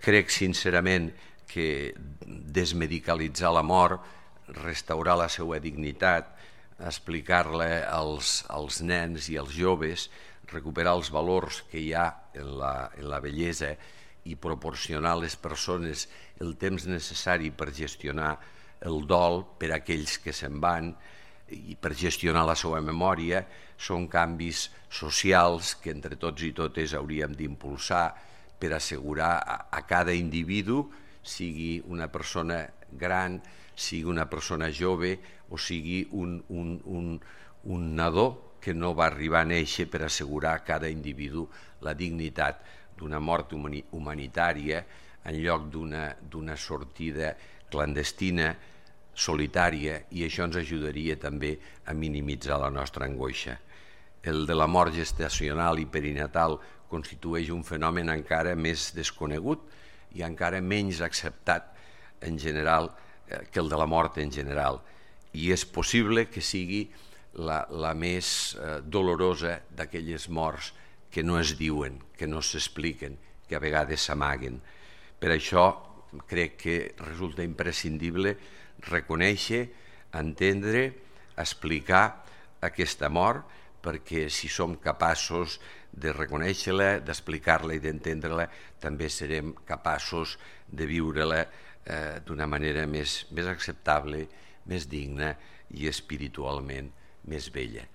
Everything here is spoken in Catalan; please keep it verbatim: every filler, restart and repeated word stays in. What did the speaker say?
Crec sincerament que desmedicalitzar la mort, restaurar la seva dignitat, explicar-la als, als nens i als joves, recuperar els valors que hi ha en la, en la bellesa i proporcionar a les persones el temps necessari per gestionar el dol per a aquells que se'n van i per gestionar la seva memòria, són canvis socials que entre tots i totes hauríem d'impulsar per assegurar a, a cada individu, sigui una persona gran, sigui una persona jove o sigui un, un, un, un nadó que no va arribar a néixer, per assegurar a cada individu la dignitat d'una mort humanitària en lloc d'una sortida clandestina, solitària, i això ens ajudaria també a minimitzar la nostra angoixa. El de la mort gestacional i perinatal constitueix un fenomen encara més desconegut i encara menys acceptat en general que el de la mort en general, i és possible que sigui la, la més eh, dolorosa d'aquelles morts que no es diuen, que no s'expliquen, que a vegades s'amaguen. Per això crec que resulta imprescindible reconèixer, entendre, explicar aquesta mort, perquè si som capaços de reconèixer-la, d'explicar-la i d'entendre-la, també serem capaços de viure-la eh, d'una manera més, més acceptable, més digna i espiritualment més bella.